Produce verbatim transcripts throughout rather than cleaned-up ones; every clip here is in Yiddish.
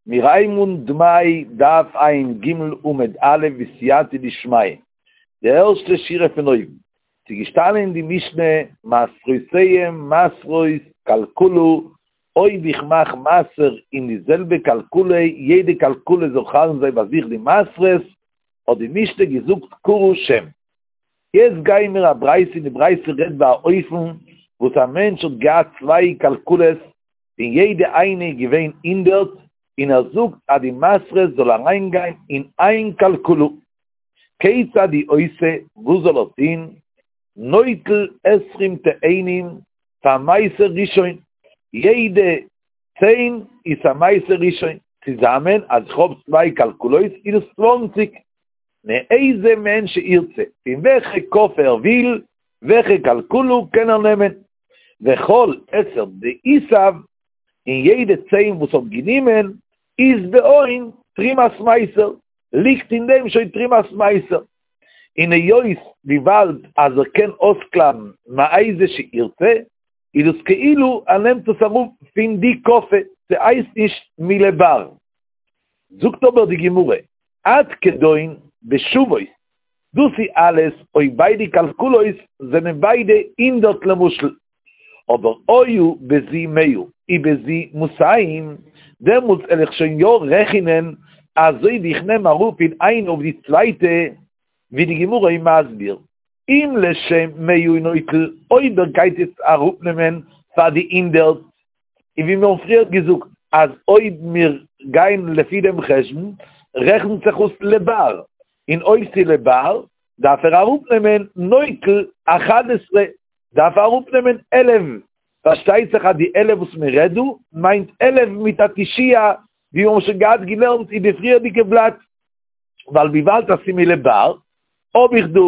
מיר הייבן אן דמאי דף ע"ג עמוד א' בסייעתא דשמיא, די ערשטע שורה פון אויבן, ס'איז געשטאנען אין די משנה מעשרותיהם מעשרות כלכלה, אויב איך מאך מעשר אין די זעלבע כלכלה, יעדע כלכלה זאל חל זיין ביי זיך די מעשרות, האט די משנה געזאגט קרא שם. יעצט גייען מיר א ברייתא און די ברייתא רעדט ביי א אופן וואס א מענטש האט געהאט צוויי כלכלות און יעדע איינע איז געווען הונדערט, און ער זאגט אז די מעשרות זאל אריינגיין אין איין כלכלה. כיצד הוא עושה, וואס זאל ער טון? נוטל עשרים תאנים פאר מעשר ראשון, יעדע צען איז א מעשר ראשון, צוזאמען אז איך האב צוויי כלכלות איז עס צוואנציג. מאיזה מהן שירצה, פון וועלכע קאפע ער וויל, וועלכע כלכלה קען ער נעמען. וכל עשר דאיתיב, און יעדע צען וואס האט גענומען, אית בהון תרומת מעשר, ליגט אין דעם שוין תרומת מעשר. און היות וויבאלד אז ער קען אויסקלייבן מאיזה שירצה, איז דאס כאילו ער נעמט עס אראפ פון די קאפע, ס'הייסט נישט מלבר. זאגט אבער די גמרא, עד כדון בשוות, דאס איז אלעס אויב ביידע כלכלות זענען ביידע הונדערט למשל, אבער היו בזו מאה ובזו מאתים, דעמאלטס וועל איך שוין יא רעכענען אזוי ווי איך נעם אראפ פון איינע אויף די צווייטע, ווי די גמרא איז מסביר, אם לשם מאה הוא נוטל, אויב ער גייט יעצט אראפנעמען פאר די הונדערט, און ווי מיר האבן פריער געזאגט אז אויב מיר גייען לפי דעם חשבון רעכנט זיך אויס לבר, און אויב ס'איז לבר דארף ער אראפנעמען נוטל אחד עשרה, דארף ער אראפנעמען עלף, פארשטייט זיך אז די עלף וואס מען רעדט דא מיינט עלף מיט א תשיעה, ווי מיר האבן שוין געהאט געלערנט אין די פריערדיגע בלאט, ווייל וויבאלד אז ס'איז מלבר האב איך דא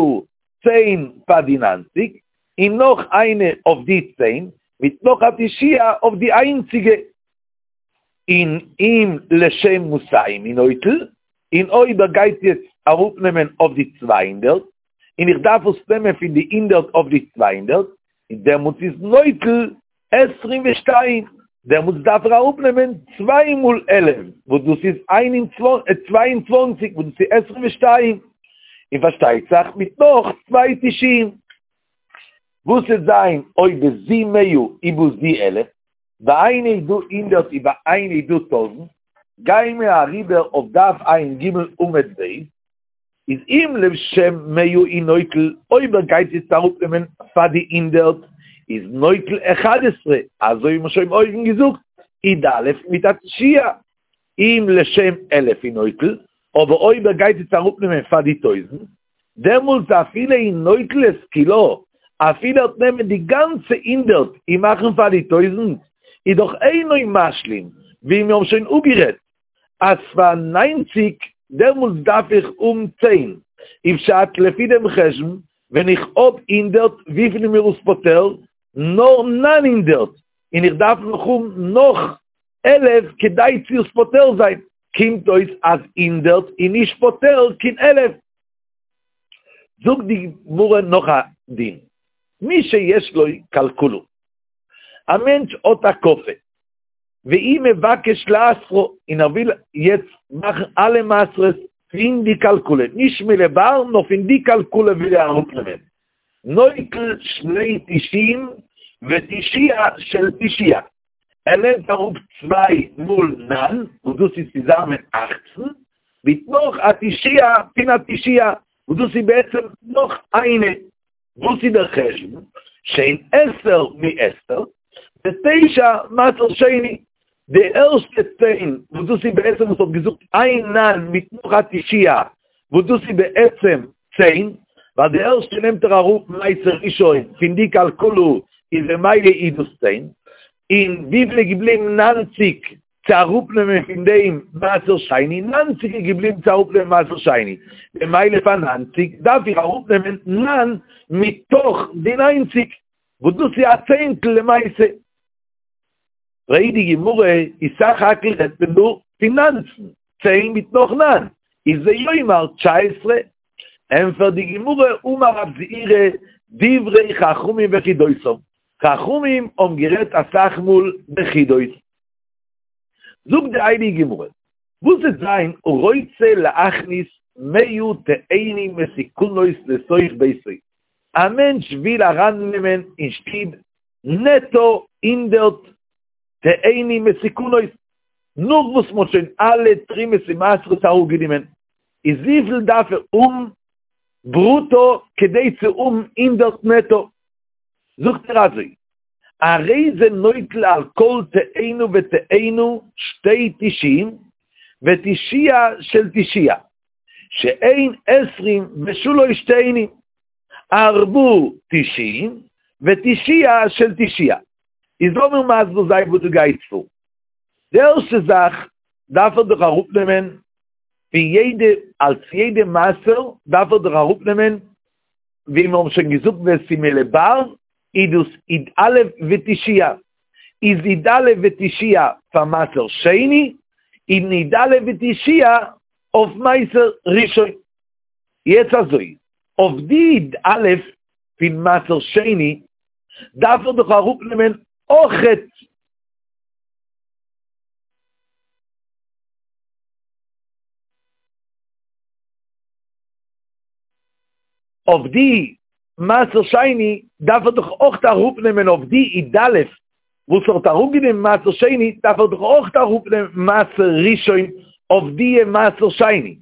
צען פאר די ניינציג, און נאך איינע אויף די צען, מיט נאך א תשיעה אויף די איינציגע. און אם לשם מאתים הוא נוטל, און אויב ער גייט יעצט אראפנעמען אויף די צוויי הונדערט, און איך דארף עס נעמען פון די הונדערט אויף די צוויי הונדערט, און דעמאלטס איז נוטל עשרים ושתיים, דעמאלטס דארף ער אראפנעמען צוויי מאל עלף, וואס דאס איז איין און צוויי און צוואנציג, וואס דאס איז עשרים ושתיים, און פארשטייט זיך מיט נאך צוויי תשיעים. וואס וועט זיין אויב בזו מאה ובזו אלף, ביי איינע איז דא הונדערט און ביי איינע איז דא טויזנט, גייען מיר אריבער אויף דף ע"ג עמוד ב', איז אם לשם מאה הוא נוטל, אויב ער גייט יעצט אראפנעמען פאר די הונדערט, איז נוטל אחד עשרה, אזוי ווי מ'האט שוין אויבן געזאגט, י"א מיט א תשיעה. אם לשם אלף הוא נוטל, אבער אויב ער גייט יעצט אראפנעמען פאר די טויזנט, דעמאלטס אפילו הוא נוטל את כולה, אפילו ער וועט נעמען די גאנצע הונדערט און מאכן פאר די טויזנט, איז דאך אינו משלים, ווי מיר האבן שוין אפגערעדט אז פאר ניינציג דעמאלטס דארף איך האבן צען, איז פשט לפי דעם חשבון ווען איך האב הונדערט וויפיל איז מיר עס פוטר? נאר נײַן הונדערט, און איך דארף נאך האבן נאך עלף כדי צו עס פוטר זיין, קומט אויס אז הונדערט איז נישט פוטר קיין עלף. זאגט די גמרא נאך א דין, מי שיש לו כלכלה, א מענטש האט א קאפע, והוא מבקש לעשרה, און ער וויל יעצט מאכן אלע מעשרות פון די כלכלה, נישט מלבר נאר פון די כלכלה וויל ער אראפנעמען, נוטל שני תשעים ותשיעה של תשיעה, ער נעמט אראפ צוויי מאל נײַן, וואס דאס איז צוזאמען אַכצן, מיט נאך א תשיעה פון א תשיעה, וואס דאס איז בעצם נאך איינע. וואס איז דער חשבון? שהן עשר מעשר, ותשע מעשר שני, די ערשטע צען, וואס דאס איז בעצם וואס האט געזאגט איין נײַן מיט נאך א תשיעה, וואס דאס איז בעצם צען, ווייל די ערשטע נעמט ער אראפ מעשר ראשון פון די כלכלה איז ממילא איז דאס צען, און וויפיל איז געבליבן נײַנציק צו אראפנעמען פון דעם מעשר שני, נײַנציק איז געבליבן צו אראפנעמען מעשר שני, ממילא פאר נײַנציק דארף איך אראפנעמען נײַן מתוך די נײַנציק, וואס דאס איז א צענטל למעשה. פרעגט די גמרא, איז סך הכל רעדט מען דא פון נײַנצן, צען מיט נאך נײַן, איז ויאמר תשע עשרה. ענפערט די גמרא, אמר רב זעירא, דברי חכמים בחידותם, חכמים האבן גערעדט אסאך מאל בחידות. זאגט די הייליגע גמרא, וואס וועט זיין רוצה להכניס מאה תאנים מתוקנות לתוך ביתו, א מענטש וויל ארייננעמען אין שטוב נעטא הונדערט תאנים מתוקנות, נאך וואס מ'האט שוין אלע תרומות און מעשרות אראפגענומען, איז וויפיל דארף ער האבן ברוטא כדי צו האבן הונדערט נעטא? זאגט ער אזוי, הרי זה נוטל על כל תאנה ותאנה שתי תשעים ותשיעה של תשיעה, שהן עשרים ושלוש תאנים, ארבעה תשעים ותשיעה של תשיעה. איז לאמיר מסביר זיין וואס דא גייט פאר. די ערשטע זאך דארף ער דאך אראפנעמען פון יעדע, אלס יעדע מעשר דארף ער דאך אראפנעמען, ווי מיר האבן שוין געזאגט ווען ס'איז מלבר איז דאס י"א ותשיעה, איז י"א ותשיעה פאר מעשר שני, און י"א ותשיעה אויף מעשר ראשון. יעצט אזוי, אויף די י"א פון מעשר שני דארף ער דאך אראפנעמען אויכעט אויף די מעשר שני דארף ער דאך אויך אראפנעמען אויף די י"א וואס ער האט אראפגענומען מעשר שני דארף ער דאך אויך אראפנעמען מעשר ראשון אויף די מעשר שני,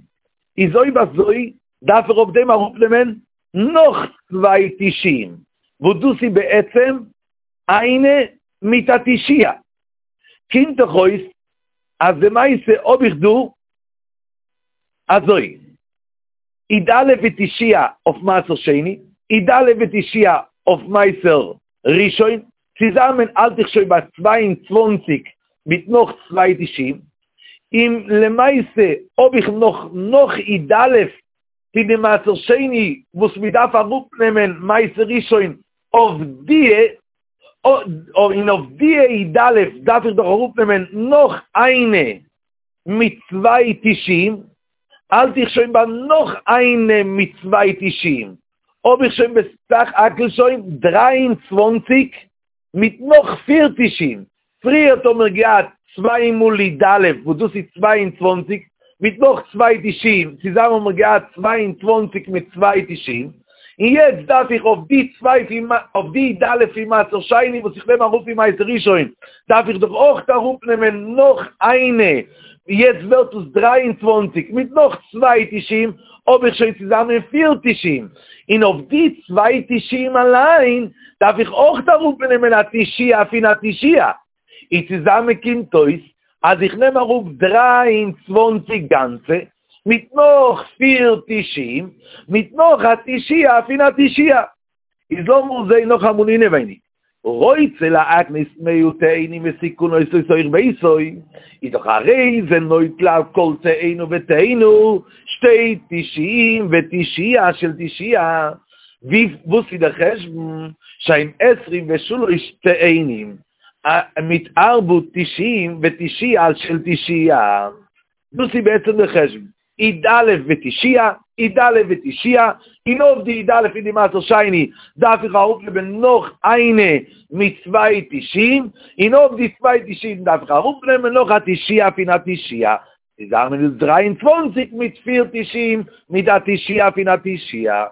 איז אויב אזוי דארף ער אויף דעם אראפנעמען נאך צוויי תשעים, וואס דאס איז בעצם איינע מיט א תשיעה, קומט דאך אויס אז למעשה האב איך דא אזוי. י"א ותשיעה אויף מעשר שני, י"א ותשיעה אויף מעשר ראשון, צוזאמען האלט איך שוין ביי צוויי און צוואַנציק מיט נאך צוויי תשעים, און למעשה האב איך נאך נאך י"א פון די מעשר שני וואס מען דארף אראפנעמען מעשר ראשון אויף די, און אויף די י"א דארף איך דאך אראפנעמען נאך איינע מיט צוויי תשעים, האלט איך שוין ביי נאך איינע מיט צוויי תשעים, האב איך שוין בסך הכל שוין דרײַ און צוואַנציק מיט נאך פיר תשעים, פריערט האבן מיר געהאט צוויי מאל י"א וואס דאס איז צוויי און צוואַנציק, מיט נאך צוויי תשעים, צוזאמען האבן מיר געהאט צוויי און צוואַנציק מיט צוויי תשעים, און יעצט דארף איך אויף די צוויי פון אויף די י"א פון מעשר שני וואס איך נעם אראפ פון מעשר ראשון, דארף איך דאך אויך אראפנעמען נאך איינע, יעצט ווערט עס דרײַ און צוואַנציק מיט נאך צוויי תשעים, האב איך שוין צוזאמען פיר תשעים, און אויף די צוויי תשעים אליין דארף איך אויך אראפנעמען א תשיעה פון א תשיעה, און צוזאמען קומט אויס אז איך נעם אראפ דרײַ און צוואַנציק גאנצע, מיט נאך פיר תשעים, מיט נאך א תשיעה פון א תשיעה. איז לאמיר זעהן נאכאמאל אינעווייניג, רוצה להכניס מאה תאנים מתוקנות לתוך ביתו, איז דאך הרי זה נוטל על כל תאנה ותאנה שתי תשעים ותשיעה של תשיעה, ווי וואס איז דער חשבון שהן עשרים ושלוש תאנים מיט ארבע תשעים ותשיעה של תשיעה, דאס איז בעצם דער חשבון, י"א ותשיעה, י"א ותשיעה, און אויף די י"א פון די מעשר שני דארף איך אראפנעמען נאך איינע מיט צוויי תשעים, און אויף די צוויי תשעים דארף איך אראפנעמען נאך א תשיעה פון א תשיעה, צוזאמען איז דרײַ און צוואַנציק מיט פיר תשעים מיט א תשיעה פון א תשיעה.